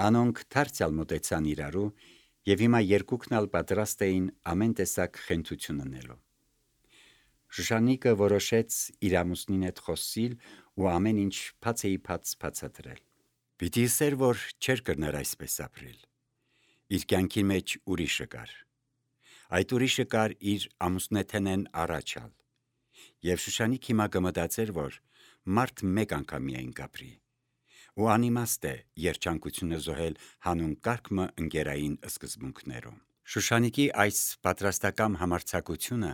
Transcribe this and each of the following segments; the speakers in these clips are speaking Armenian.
Անոնք դարձյալ մոտեցան իրարու եւ հիմա երկուքն ալ պատրաստ էին ամեն տեսակ խենթություն ընելու։ Շուշանիկը որոշեց իր ամուսնին հետ խոսիլ ու ամեն ինչ բացեիփաց բացատրել։ Պիտի ասեր, որ չէր կրներ այսպես ապրել։ Իր կյանքի մեջ ուրիշը կար։ Այդ ուրիշը կար իր ամուսնեթենեն առաջալ։ Եվ Շուշանիկ հիմա կմտածեր, որ մարդ մեկ անգամ միայն կապրի։ Ու անիմաստ է երջանկությունը զոհել հանուն կարգմը ընկերային սկզբունքներում։ Շուշանիկի այս պատրաստակամ համարձակությունը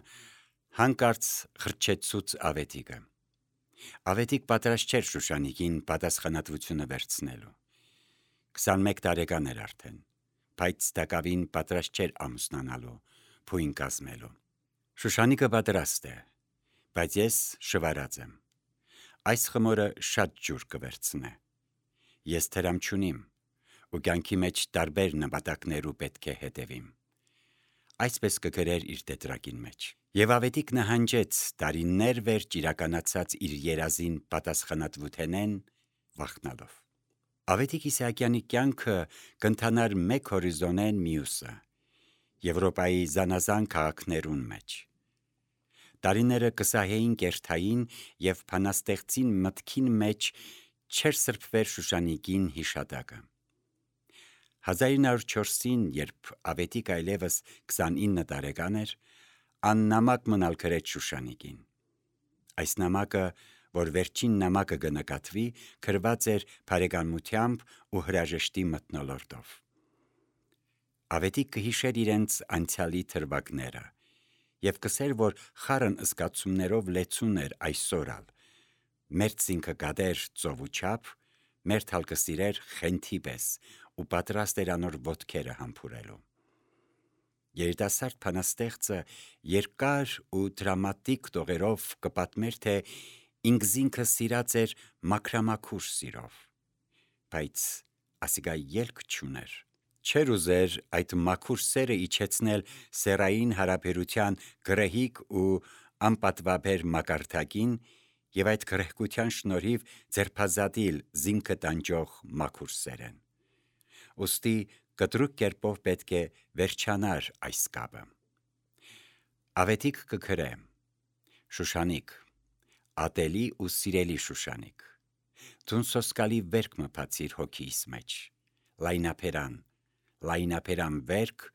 հանկարծ խրճեցուց Ավետիքը։ Ավետիք պատրաստ չէր Շուշանիկին պատասխանատվությունը վերցնելու։ 21 տարեկան էր արդեն, բայց տակավին պատրաստ չէր ամուսնանալու, փույն կազմելու։ Շուշանիկը պատրաստ է, բայց ես շվարած եմ։ Այս խմորը շատ ջուր կվերցնե։ Ես թրամ չունիմ, ու կյանքի մեջ տարբեր նպատակներու պետք է հետևիմ։ Այսպես կգրեր իր տետրակին մեջ։ Եվ Ավետիք նահանջեց տարիներ վերջ իրականացած իր երազին պատասխանատվութենեն վախնալով։ Ավետիք Իսահակյանի կյանքը կընթանար մեկ հորիզոնեն մյուսը, Եվրոպայի զանազան քաղաքներուն մեջ։ Տարիները կսահեին կերթային եւ փանաստեղծին մտքին մեջ չէր սրբվեր Շուշանիկին հիշատակը։ 1904-ին, երբ Ավետիք այլևս 29 տարեկան էր, աննամակ մնալ գրեց Շուշանիկին։ Այս նամակը, որ վերջին նամակը կնկատվի, գրված էր բարեկամությամբ ու հրաժեշտի մթնոլորտով։ Ավետիք կհիշեր իրենց անցյալի թրվակները եւ կսեր, որ խառն զգացումներով լեցուն էր այսօրալ, մերձինքը կադեր ծովու չափ, մերթալ կսիրեր խենթի պես ու պատրաստ էր անոր ոտքերը համբուրելու։ Երիտասարդ փանաստեղծը երկար ու դրամատիկ տողերով կպատմեր, թե ինքզինքը սիրած էր մաքրամաքուր սիրով, բայց ասիկա ելք չուներ։ Չէր ուզեր այդ մաքուր սերը իջեցնել սեռային հարաբերության գրեհիկ ու անպատվաբեր մակարդակին եւ այդ գրեհկության շնորհիվ ձերբազատիլ զինքը տանջող մաքուր սերեն։ Ոստի կտրուկ կերպով պետք է վերջանար այս կապը։ Ավետիք կգրե. Շուշանիկ, ատելի ու սիրելի Շուշանիկ, դուն սոսկալի վերք մը բացիր հոգիս մեջ, լայնապերան վերք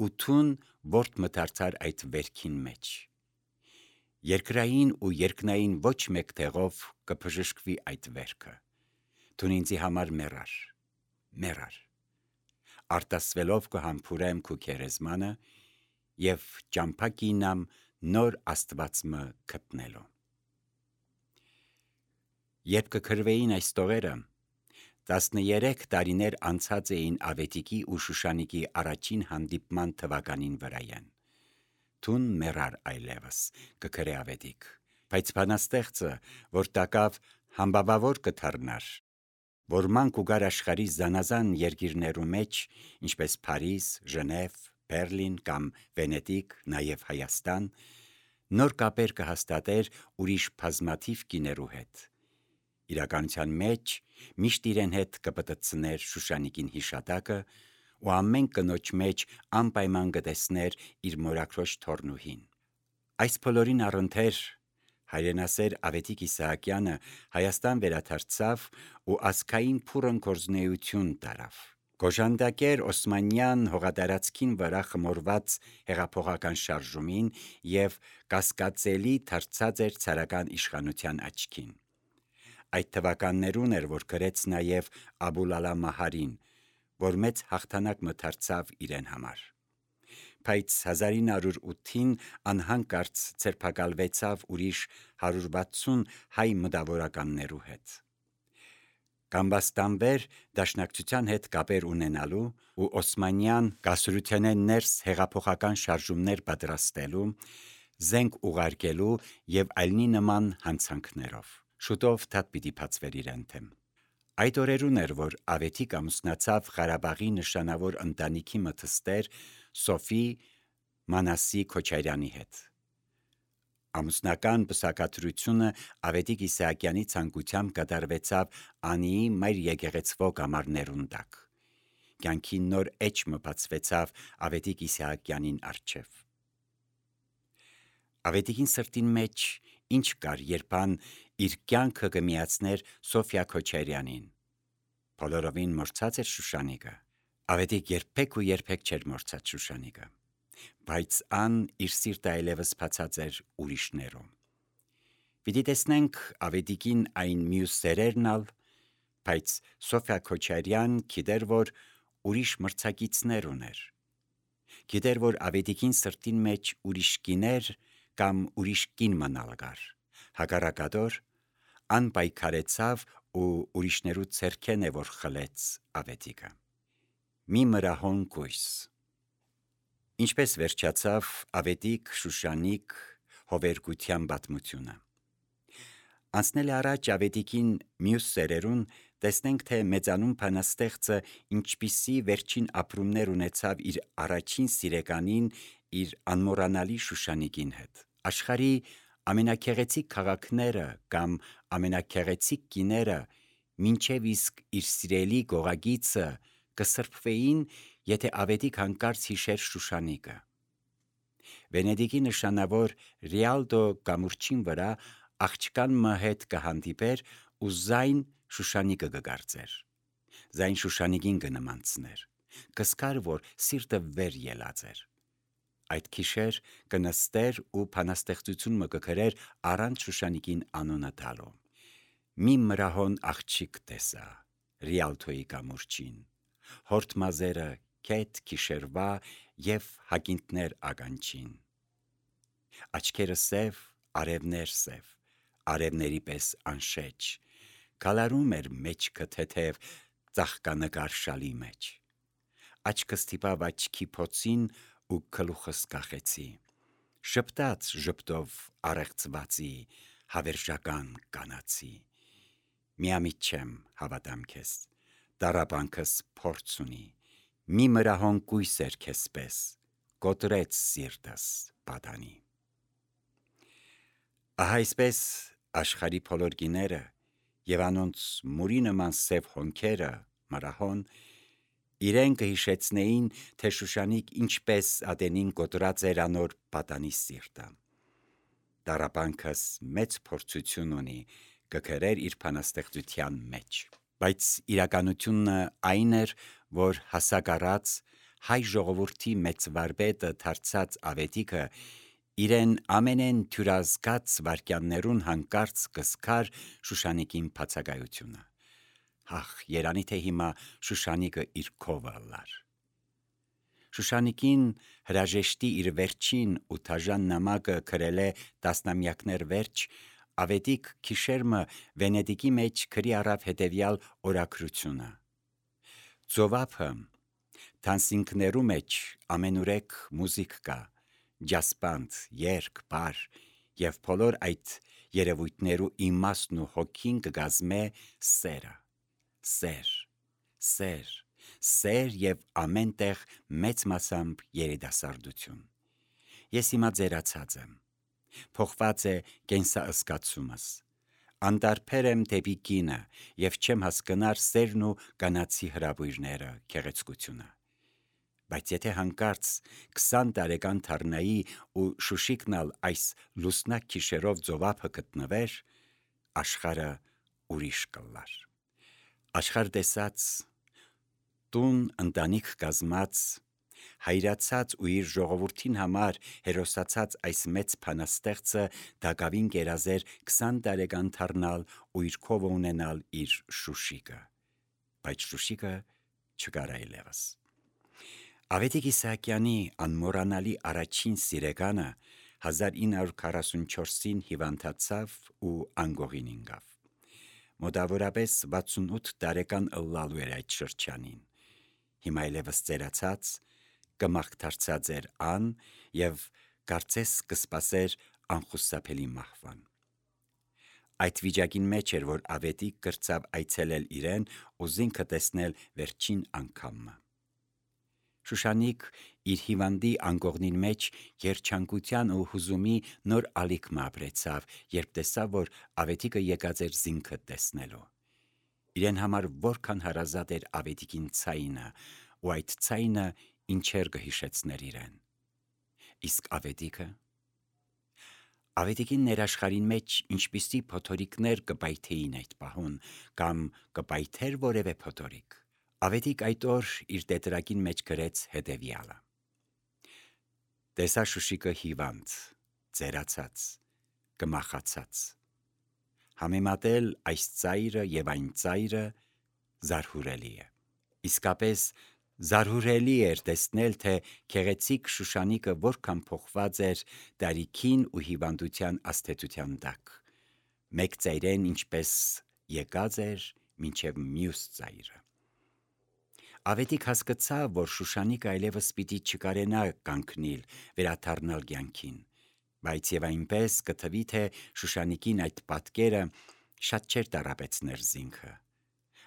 ու թուն որդ մդարձար այդ վերքին մեջ։ Երկրային ու երկնային ոչ մեկ տեղով կբժշկվի այդ վերքը։ Դուն ինձի համար մեռար։ Արտասվելով կհամբուրեմ քու քերեզմանը եւ ճամփա կինամ նոր Աստվածմը գտնելու։ Երբ կգրվեին այս տողերը, 13 տարիներ անցած էին Ավետիքի ու Շուշանիկի առաջին հանդիպման թվականին վրայեն։ Դուն մեռար այլևս, կգրե Ավետիք, բայց բանաստեղծը, որ տակավ համբավավոր կդառնար, որ մանկ ու գար աշխարհի զանազան երկիրներու մեջ, ինչպես Փարիզ, Ժնև, Բերլին կամ Վենետիկ, նաև Հայաստան, նոր կապեր կհաստատեր ուրիշ բազմաթիվ կիներու հետ։ Իրականության մեջ միշտ իրեն հետ կպտտցներ Շուշանիկին հիշատակը ու ամեն կնոջ մեջ անպայման կտեսներ իր մորաքրոջ թորնուհին։ Այս բոլորին առընթեր հայրենասեր Ավետիք Իսահակյանը Հայաստան վերադարձավ ու ազգային փուրն գործունեություն տարավ։ Գոժանդակեր Օսմանյան հողատարածքին վրա խմորված հեղափոխական շարժումին եւ կասկածելի դարձած էր ցարական իշխանության աչքին։ Այդ թվականներուն էր, որ գրեց նաև Աբուլալա Մահարին, որ մեծ հաղթանակ մդարձավ իրեն համար։ Բայց 1908-ին անհանկարծ ձերբակալվեցավ ուրիշ 160 հայ մտավորականներու հետ։ Կամբաստանվեր դաշնակցության հետ կապեր ունենալու ու Օսմանյան կասրութենեն ներս հեղափոխական շարժումներ պատրաստելու, զենք ուղարկելու եւ այլնի նման հանցանքներով։ Շուտով դատ պիտի բացվեր իրեն թեմ։ Այդ օրերուն էր, որ Ավետիք ամուսնացավ Ղարաբաղի նշանավոր ընտանիքի մթստեր Սոֆի Մանասի Քոչարյանի հետ։ Ամուսնական պսակադրությունը Ավետիք Իսահակյանի ցանկությամբ կատարվեցավ Անիի մայր եկեղեցվո կամարներուն տակ, կյանքի նոր էջ մբացվեցավ Ավետիք Իսահակյանին առջև։ Ավետիքին սրտին մեջ ինչ կար, երբ ան իր կյանքը կմիացներ Սոֆյա Քոչարյանին։ Բոլորովին մորցած էր Շուշանիկը։ Ավետիք երբեք ու երբեք չէր մորցած Շուշանիկը, բայց ան իր սիրտը այլևս բացած էր ուրիշներում։ Պիտի տեսնենք Ավետիքին այն մյուս սերերն ալ, բայց Սոֆյա Քոչարյան գիտեր, որ ուրիշ մրցակիցներ ուներ։ Գիտեր, որ Ավետիքին սրտին մեջ ուրիշ կիներ կամ ուրիշ կին մնալ գար։ Հակառակադոր ան պայքարեցավ ու ուրիշներու ցերքեն է որ խլեց Ավետիքը։ Մի մրահոն կույս։ Ինչպես վերջացավ Ավետիք Շուշանիկ հովերգության պատմությունը։ Անցնել առաջ Ավետիքին մյուս սերերուն տեսնենք, թե մեծանուն բանաստեղծը ինչպիսի վերջին ապրումներ ունեցավ իր առաջին սիրեկանին, իր անմոռանալի Շուշանիկին հետ։ Աշխարհի ամենաքեղեցիկ քաղաքները կամ ամենաքեղեցիկ կիները մինչև իսկ իր սիրելի գողագիծը կսրբվեին, եթե Ավետիք հանկարծ հիշեր Շուշանիկը։ Վենեդիկի նշանավոր Ռիալդո կամուրջին վրա աղջկան մը հետ կհանդիպեր ու զայն Շուշանիկը կգարձեր։ Զայն Շուշանիկին կնմանցներ, կսկար, որ սիրտը վեր ելած էր։ Այդ քիշեր կնստեր ու բանաստեղծություն մը կգրեր առանց Շուշանիկին անունը տալու։ Մի մրահոն աղջիկ տեսա Ռիալդոյի կամուրջին, հորդ մազերը կետ քիշերվա և հագինտներ ականջին։ Աչքերը սև, արևներ սև, արևների պես անշեջ, գալարում էր մեջքը թեթև ծաղկանկար շալի մեջ։ Աչքս թիպավ աչքի փոցին ու գլուխս կախեցի։ Շպտաց ժպտով առեղծվածի, հավերժական կանացի։ Միամիտ չեմ հավատամ քեզ, տառապանքս փորձ ունի, մի մրահոն կույս էր քեզ պես, կոտրեց սիրտս պատանի։ Ահա այսպես աշխարհի բոլոր գիները և անոնց մուրի նման սև հոնքերը մրահոն իրեն կհիշեցնեին, թե Շուշանիկ ինչպես ատենին կոտրած էր անոր պատանի սիրտը։ Տառապանքս մեծ փորձություն ունի, կգրեր իր բանաստեղծության մեջ։ Բայց իրականությունը այն էր, որ հասակ առած հայ ժողովրդի մեծ վարպետը դարձած Ավետիքը իրեն ամենեն թյուրազգաց վարքյաններուն հանկարծ կսկար Շուշանիկին բացակայությունը։ Հախ, երանի թե հիմա Շուշանիկը իր քովը լար։ Շուշանիկին հրաժեշտի իր վերջին ու թաժան նամակը գրել է տասնամյակներ վերջ, Ավետիք քիշերմը Վենեդիկի մեջ գրի առավ հետևյալ օրագրությունը. Ծովափը թանսինքներու մեջ ամենուրեք մուզիկ կա, ջասպանդ, երգ, բար, և բոլոր այդ երևույթներու իմաստն ու հոգին կգազմե սերը, սեր, սեր, սեր և ամեն տեղ մեծ մասամբ երիտասարդություն։ Ես հիմա ձերացած եմ, փոխված է կենսաըսկացումս, անտարբեր եմ դեպի կինը և չեմ հասկնար սերն ու կանացի հրաբույրները, գեղեցկությունը։ Բայց եթե հանկարծ 20 տարեկան դառնայի ու Շուշիկնալ այս լուսնակ քիշերով ծովափը գտնվեր, աշխարհը ուրիշ կլար։ Աշխարհ տեսած, տուն ընտանիք կազմած, հայրացած ու իր ժողովրդին համար հերոսացած այս մեծ բանաստեղծը դակավին կերազեր 20 տարեկան դառնալ ու իր քովը ունենալ իր Շուշիկը, բայց Շուշիկը չկար այլևս։ Ավետիք Իսահակյանի անմոռանալի առաջին սիրեկանը 1944-ին հիվանդացավ ու անգողին ինգավ։ Մոտավորապես 68 տարեկան ըլլալու էր այդ շրջանին։ Հիմա այլևս ծերացած, կմաղթարցած էր ան և կարծես կսպասեր անխուսափելի մահվան։ Այդ վիճակին մեջ էր, որ Ավետիք կրծավ այցելել իրեն ու զինքը տեսնել վերջին անգամը։ Շուշանիկ իր հիվանդի անգողնին մեջ երջանկության ու հուզումի նոր ալիք մը ապրեցավ, երբ տեսավ, որ Ավետիքը եկած էր զինքը տեսնելու։ Իրեն համար որքան հարազատ էր Ավետիքին ցայինը ու այդ ցայնը ինչեր կհիշեցներ իրեն։ Իսկ Ավետիքին ներաշխարին մեջ ինչպիսի փոթորիկներ կպայթեին այդ պահուն, կամ կպայթեր որևէ փոթորիկ։ Ավետիք այդ օր իր տետրակին մեջ գրեց հետևյալը. «Տեսա Շուշիկը հիվանդ, ծերացած, կմախացած։ Համեմատել այս ծայրը և այն ծայրը զարհուրելի է»։ Իսկապես զարհուրելի էր տեսնել, թե գեղեցիկ Շուշանիկը որքան փոխված էր տարիքին ու հիվանդության աստեցության տակ։ Մեկ ծայրեն ինչպես եկած էր մինչև մյուս ծայրը։ Ավետիք հասկացավ, որ Շուշանիկը այլևս պիտի չկարենա կանգնիլ, վերադառնալ կյանքին, բայց և այնպես կթվի, թե Շուշանիկին այդ պատկերը շատ չէր տառապեցներ զինքը։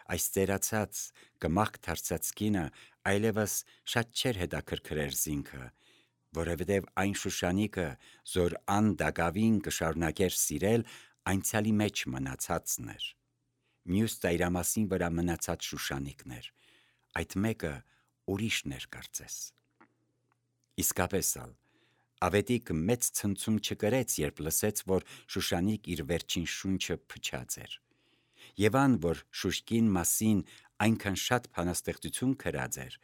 Այս ծերացած, կմախք դարձած կինը այլևս շատ չէր հետաքրքրեր զինքը, որովհետև այն Շուշանիկը, որ ան դակավին կշարունակեր սիրել, անցյալի մեջ մնացածն էր։ Մյուս ծայրամասին վրա մնացած Շուշանիկն էր, այդ մեկը ուրիշն էր կարծես։ Իսկապես ալ, Ավետիք մեծ ցնցում չկրեց, երբ լսեց, որ Շուշանիկ իր վերջին շունչը փչած էր։ Եվ ան, որ Շուշկին մասին այնքան շատ բանաստեղծություն գրած էր,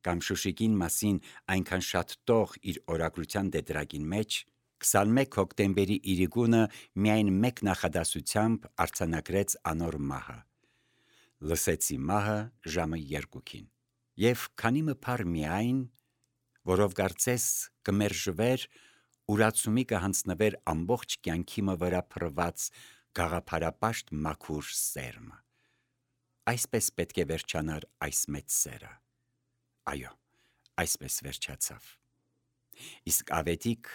կամ Շուշիկին մասին այնքան շատ տող իր օրագրության տետրակին մեջ, 21 հոկտեմբերի իրիկունը միայն մեկ նախադասությամբ արձանագրեց անոր մահը. «Լսեցի մահը ժամը 2-ին»։ Եվ քանի մփար միայն, որով կարծես կմերժվեր, ուրացումի կհանձնվեր ամբողջ կյանքի վրա փռված գաղափարապաշտ մաքուր սերմը։ Այսպես պետք է վերջանար այս մեծ սերը։ Այո, այսպես վերջացավ։ Իսկ Ավետիք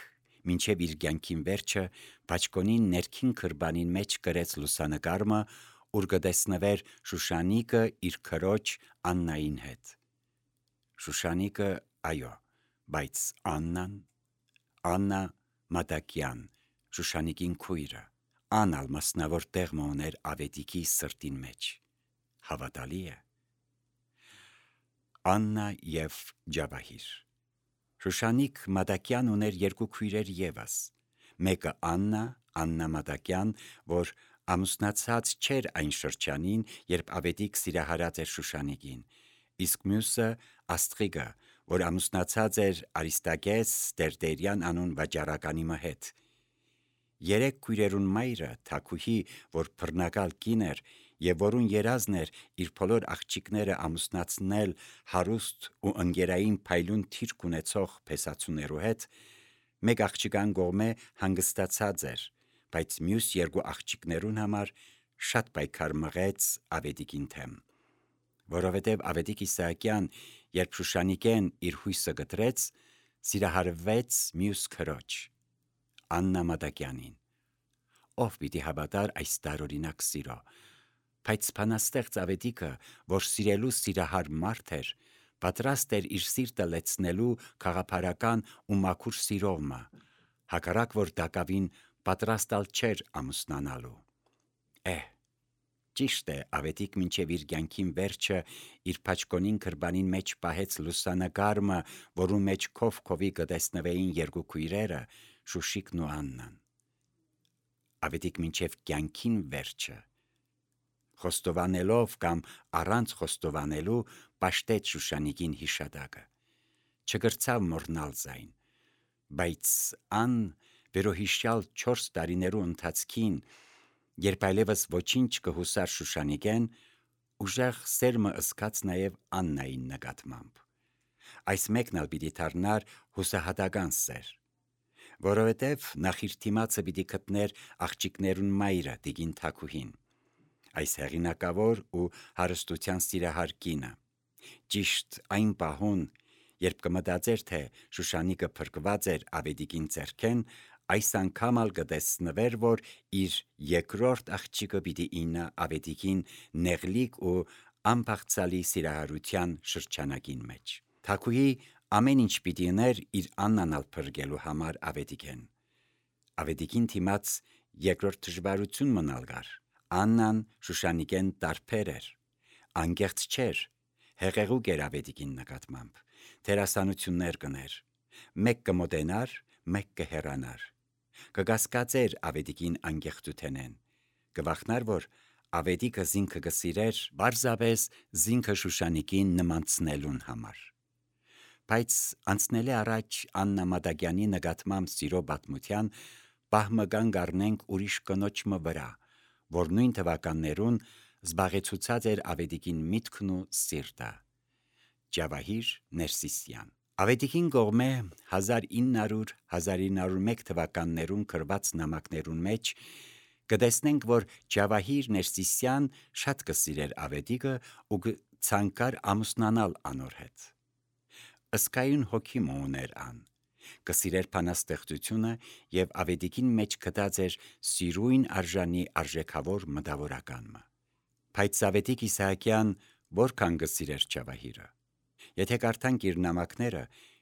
մինչև իր կյանքին վերջը բաճկոնին ներքին քրբանին մեջ գրեց լուսանկարը, ուր կտեսնվեր Շուշանիկը իր քրոջ Աննային հետ։ Շուշանիկը, այո, բայց Աննա Մադակյան, Շուշանիկին քույրը, անալ մասնավոր տեղ ուներ Ավետիքի սրտին մեջ։ Հավատալի է։ Աննա և Ջավահիր։ Շուշանիկ Մադակյան ուներ երկու քույրեր ևս, մեկը Աննա Մադակյան, որ ամուսնացած չէր այն շրջանին, երբ Ավետիք սիրահարած էր Շուշանիկին, իսկ մյուսը Աստղիկը, որ ամուսնացած էր Արիստակես Տերտերյան անուն վաճառականի հետ։ Երեք քույրերուն մայրը Թաքուհի, որ բռնակալ կին էր և որուն երազն էր իր բոլոր աղջիկները ամուսնացնել հարուստ ու ընկերային փայլուն թիրք ունեցող փեսացուներու հետ, մեկ աղջկան կողմէ հանգստացած էր, բայց մյուս երկու աղջիկներուն համար շատ պայքար մղեց Ավետիքին թեմ, որովհետև Ավետիք Իսահակյան, երբ Շուշանիկեն իր հույսը գտրեց, սիրահարվեց մյուս քրոջ, Աննա Մադակյանին, ով պիտի հավատար այս տարօրինակ սիրո, բայց բանաստեղծ Ավետիքը, որ սիրելու սիրահար մարդ էր, պատրաստ էր իր սիրտը լեցնելու գաղափարական ու մաքուր սիրովը, հակառակ որ դակավին պատրաստալ չէր ամուսնանալու։ Ճիշտ է, Ավետիք մինչև իր կյանքին վերջը իր բաճկոնին քրբանին մեջ պահեց լուսանկարը, որու մեջ քով-քովի կտեսնվեին երկու քույրերը, Շուշիկն ու Աննան։ Ավետիք մինչև կյանքին վերջը, խոստովանելով կամ առանց խոստովանելու, պաշտեց Շուշանիկին հիշատակը, չկրցավ մոռնալ զայն, բայց ան վերոհիշյալ 4 տարիներու ընթացքին, երբ այլևս ոչինչ կհուսար Շուշանիկեն, ուժեղ սերմը ըսկաց նաև Աննային նկատմամբ։ Այս մեկն ալ պիտի դառնար հուսահատական սեր, որովհետև նախ իր դիմացը պիտի գտներ աղջիկներուն մայրը տիկին Թաքուհին, այս հեղինակավոր ու հարստության սիրահար կինը, ճիշտ այն պահուն, երբ կմտածեր, թե Շուշանիկը փրկված էր Ավետիքին ձեռքեն, այս անգամ ալ կտեսնվեր, որ իր երկրորդ աղջիկը պիտի իննա Ավետիքին նեղլիկ ու անբաղցալի սիրահարության շրջանակին մեջ։ Թաքուհի ամեն ինչ պիտի ուներ իր Աննան ալ փրկելու համար Ավետիքեն։ Ավետիքին դիմաց երկրորդ դժվարություն մնալ գար։ Աննան Շուշանիկեն տարբեր էր, անկեղծ չէր, հեղեղուկ էր ավետիքին նկատմամբ, դերասանություններ կներ, մեկ կմոտենար, մեկ կհեռանար, կկասկածեր ավետիքին անկեղծութենեն, կվախնար, որ ավետիքը զինքը կսիրեր, բարձաբես զինքը Շուշանիկին նմանցնելուն համար։ Բայց անցնելի առաջ Աննա Մադագյանի նկատմամբ սիրո պատմության պահմգան գարնենք ուրիշ կնոջը վրա, որ նույն թվականներուն զբաղեցուցած էր ավետիքին միտքն ու սիրտը, Ջավահիր Ներսիսյան։ Ավետիքին կողմե 1900-1901 թվականներուն կրված նամակներուն մեջ կտեսնենք, որ Ջավահիր Ներսիսյան շատ կսիրեր ավետիքը ու ցանկար ամուսնանալ անոր հետ։ Ըսկայուն հոգի ուներ ան, կսիրեր բանաստեղծությունը եւ ավետիքին մեջ գտած էր սիրույն արժանի արժեքավոր մտավորականը։ Բայց Ավետիք Իսահակյան որքան կսիրեր Ջավահիրը։ Եթե կարդանք իր նամակները,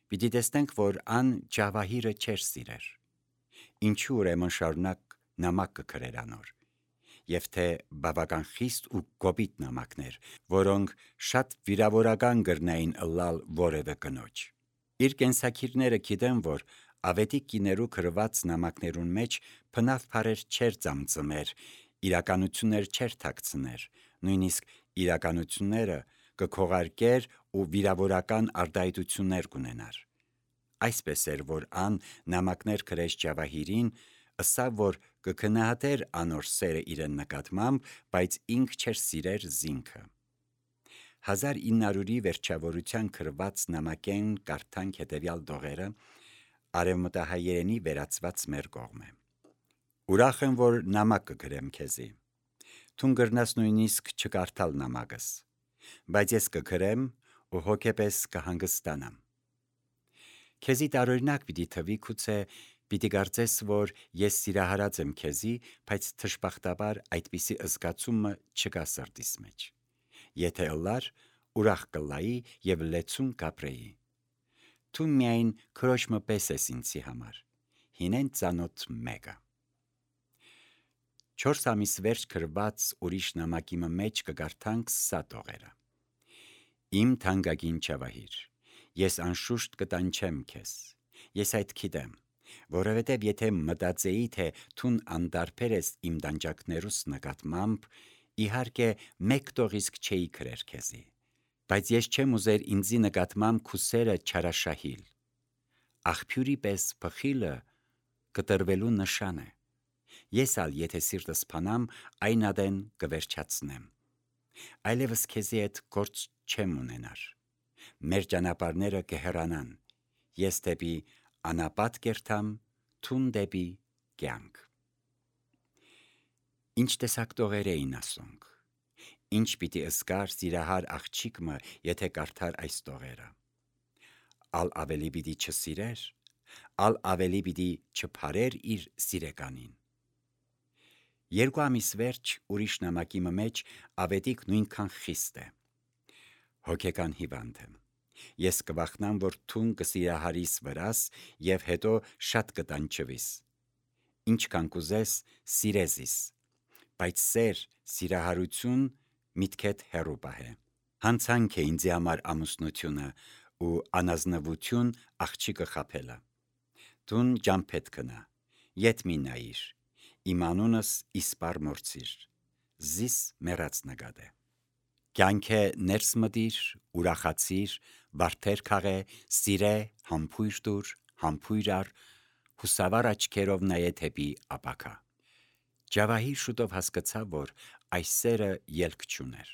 պիտի տեսնենք, որ ան Ջավահիրը չէր սիրեր։ Ինչու ուրեմն շարունակ նամակ կգրեր անոր, եւ թե բավական խիստ ու կոպիտ նամակներ, որոնք շատ վիրավորական կրնային ըլլալ որևէ կնոջ։ Իր կենսակիրները գիտեն, որ ավետիք կիներու գրված նամակներուն մեջ բնավ բառեր չէր ծամծմեր, իրականություններ չէր թաքցներ, նույնիսկ իրականությունները կքողարկեր ու վիրավորական արտահայտություններ կունենար։ Այսպես էր, որ ան նամակներ գրեց Ջավահիրին, ըսավ, որ կգնահատեր անոր սերը իրեն նկատմամբ, բայց ինք չէր սիրեր զինքը։ 1900-ի վերջավորության գրված նամակեն կարդանք հետևյալ դողերը արևմտահայերենի վերածված մեր կողմը։ Ուրախ եմ, որ նամակ կգրեմ քեզի։ Թուն գրնաս նույնիսկ չկարդալ նամակս, բայց ես կգրեմ ու հոգեպես կհանգստանամ։ Քեզի տարօրինակ պիտի թվի գուցե պիտի կարծես, որ ես սիրահարած եմ քեզի, բայց թշբախտաբար այդպիսի զգացումը չկա սրտիս մեջ։ Եթե ըլլար, ուրախ կլայի եւ լեցուն կապրեի։ Դու միայն քրոջը պես ես ինձի համար, հինեն ծանոթ մեկը։ 4 ամիս վերջ գրված ուրիշ նամակի մեջ կգարթանք սա տողերը։ Իմ թանկագին Ջավահիր, ես անշուշտ կտանչեմ քեզ, ես այդ գիտեմ, որովհետև եթե մտածեի, թե թուն անդարբեր ես իմ դանջակներուս նկատմամբ, իհարկե մեկ տողիսկ չէի գրեր քեզի, բայց ես չեմ ուզեր ինձի նկատմամբ քուսերը չարաշահիլ, աղբյուրի պես փխիլը կտրվելու նշան է, ես ալ եթե սիրտս փանամ, այն ադեն կվերջացնեմ, այլևս քեզի հետ գործ չեմ ունենար, մեր ճանապարհները կհեռանան, ես դեպի անապատ կերտամ, թուն դեպի կյանք։ Ինչ տեսակ տողեր էին ասոնք, ինչ պիտի ըսկար սիրահար աղջիկը, եթե կարդար այս տողերը, ալ ավելի պիտի չսիրեր, ալ ավելի պիտի չփարեր իր սիրեկանին։ 2 ամիս վերջ ուրիշ նամակի մեջ ավետիք նույնքան խիստ է։ Հոգեկան հիվանդ եմ։ Ես կվախնամ, որ թուն կսիրահարիս վրաս եւ հետո շատ կտանջվիս։ Ինչքան կուզես սիրեզիս, բայց սիրահարություն միտքեդ հեռու պահե։ Հանցանք է ինձի համար ամուսնությունը ու անազնվություն աղջիկը խաբելը։ Դուն ջամփետ կնա, ետ մի նայիր, իմ անունս իսպար մորցիր, զիս մեռած նկատե։ Կյանքը ներս մտիր, ուրախացիր, վարդեր քաղե, սիրե, համբույր դուր, համբույր առ, հուսավար աչքերով նայե թեպի ապակա։ Ջավահիր շուտով հասկացավ, որ այս սերը ելք չուներ։